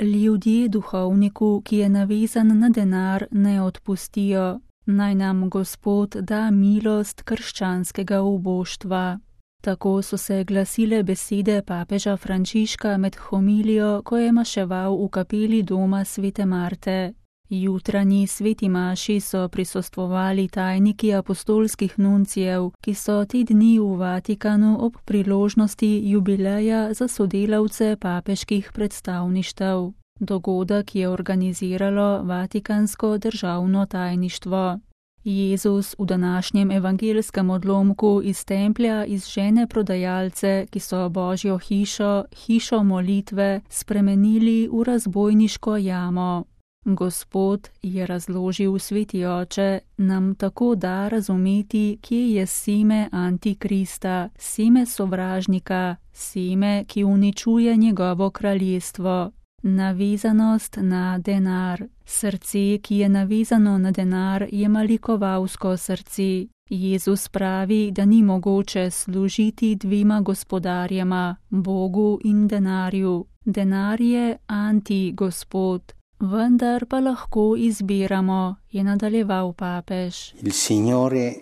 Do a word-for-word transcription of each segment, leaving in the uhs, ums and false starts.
Ljudje duhovniku, ki je navezan na denar, ne odpustijo. Naj nam Gospod da milost krščanskega uboštva. Tako so se glasile besede papeža Frančiška med homilijo, ko je maševal v kapeli doma svete Marte. Jutranji sveti maši so prisostvovali tajniki apostolskih nuncijev, ki so te dni v Vatikanu ob priložnosti jubileja za sodelavce papeških predstavništev. Dogodek je organiziralo Vatikansko državno tajništvo. Jezus v današnjem evangelskem odlomku iz templja izžene prodajalce, ki so Božjo hišo, hišo molitve, spremenili v razbojniško jamo. Gospod, je razložil sveti oče, nam tako da razumeti, kje je seme Antikrista, seme sovražnika, seme, ki uničuje njegovo kraljestvo. Navezanost na denar. Srce, ki je navezano na denar, je malikovalsko srce. Jezus pravi, da ni mogoče služiti dvema gospodarjema, Bogu in denarju. Denar je anti-gospod. Vendar pa lahko izbiramo, je nadaljeval papež. Il Signore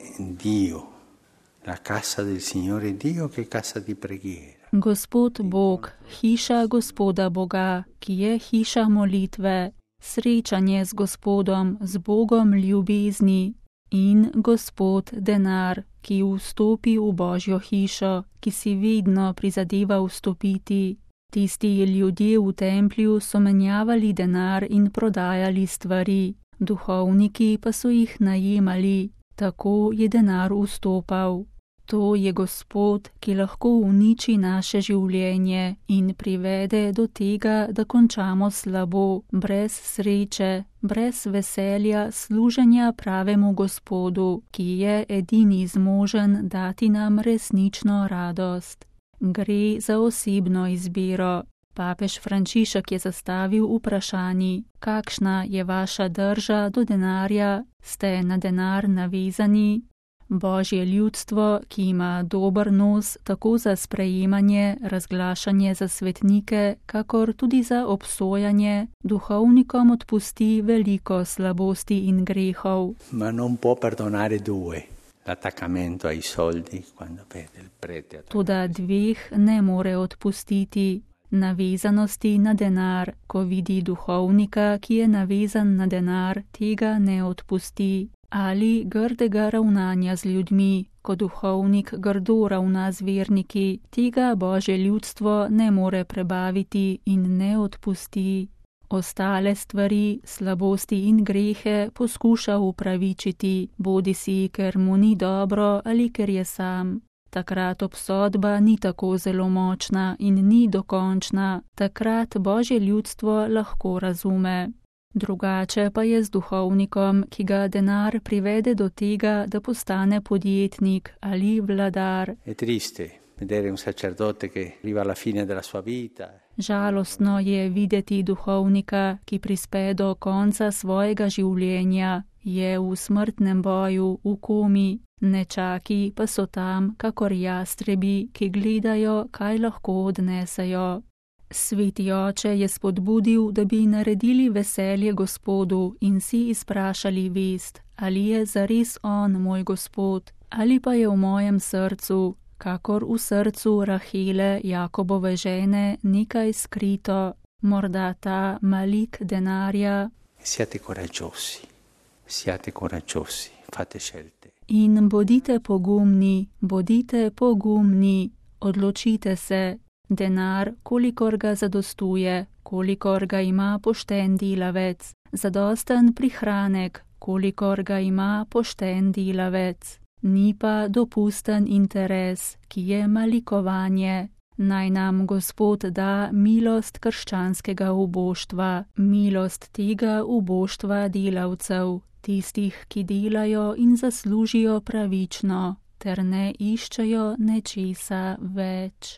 Dio, la casa del Signore Dio, che casa di preghiera. Gospod Bog, hiša Gospoda Boga, ki je hiša molitve, srečanje z Gospodom, z Bogom ljubezni, in Gospod denar, ki vstopi v Božjo hišo, ki si vedno prizadeva vstopiti. Tisti ljudje v templju so menjavali denar in prodajali stvari, duhovniki pa so jih najemali, tako je denar vstopal. To je Gospod, ki lahko uniči naše življenje in privede do tega, da končamo slabo, brez sreče, brez veselja služenja pravemu Gospodu, ki je edini zmožen dati nam resnično radost. Gre za osebno izbiro. Papež Frančišek je zastavil vprašanji, kakšna je vaša drža do denarja, ste na denar navezani? Božje ljudstvo, ki ima dober nos tako za sprejemanje, razglašanje za svetnike, kakor tudi za obsojanje, duhovnikom odpusti veliko slabosti in grehov. Ma non può perdonare due. L'attaccamento ai soldi quando vede il prete. Toda dveh ne more odpustiti. Navezanosti na denar, ko vidi duhovnika, ki je navezan na denar, tega ne odpusti. Ali grdega ravnanja z ljudmi, ko duhovnik grdo ravna z verniki, tega Božje ljudstvo ne more prebaviti in ne odpusti. Ostale stvari, slabosti in grehe poskuša upravičiti, bodisi ker mu ni dobro ali ker je sam. Takrat obsodba ni tako zelo močna in ni dokončna, takrat Božje ljudstvo lahko razume. Drugače pa je z duhovnikom, ki ga denar privede do tega, da postane podjetnik ali vladar. È triste vedere un sacerdote che arriva alla fine della sua vita. Žalostno je videti duhovnika, ki prispe do konca svojega življenja, je v smrtnem boju, v komi, nečaki pa so tam, kakor jastrebi, ki gledajo, kaj lahko odnesejo. Sveti oče je spodbudil, da bi naredili veselje Gospodu in si izprašali vest, ali je zares on moj Gospod, ali pa je v mojem srcu, kakor v srcu Rahele, Jakobove žene, nekaj skrito, morda ta malik denarja. Siate coraggiosi, siate coraggiosi, fate scelte. In bodite pogumni, bodite pogumni, odločite se. Denar, kolikor ga zadostuje, kolikor ga ima pošten delavec, zadosten prihranek, kolikor ga ima pošten delavec. Ni pa dopusten interes, ki je malikovanje. Naj nam Gospod da milost krščanskega uboštva, milost tega uboštva delavcev, tistih, ki delajo in zaslužijo pravično, ter ne iščejo nečesa več.